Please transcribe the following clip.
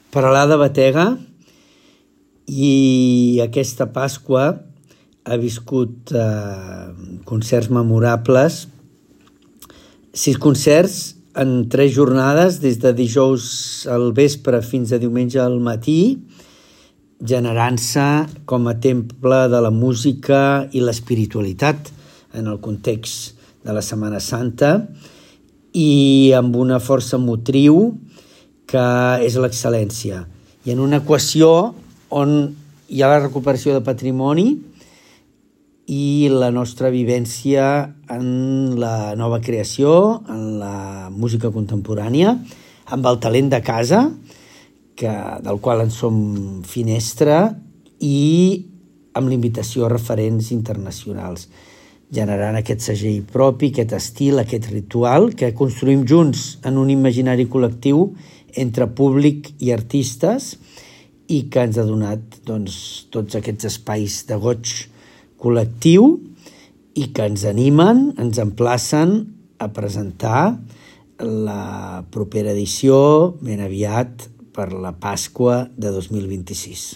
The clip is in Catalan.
Peralada Batega, i aquesta Pasqua ha viscut concerts memorables, 6 concerts en 3 jornades, des de dijous al vespre fins a diumenge al matí, generant-se com a temple de la música i l'espiritualitat en el context de la Setmana Santa i amb una força motriu que és l'excel·lència. I en una equació on hi ha la recuperació de patrimoni i la nostra vivència en la nova creació, en la música contemporània, amb el talent de casa, del qual en som finestra, i amb l'invitació a referents internacionals, generant aquest segell propi, aquest estil, aquest ritual que construïm junts en un imaginari col·lectiu entre públic i artistes i que ens ha donat tots aquests espais de goig col·lectiu i que ens animen, ens emplacen a presentar la propera edició ben aviat per la Pasqua de 2026.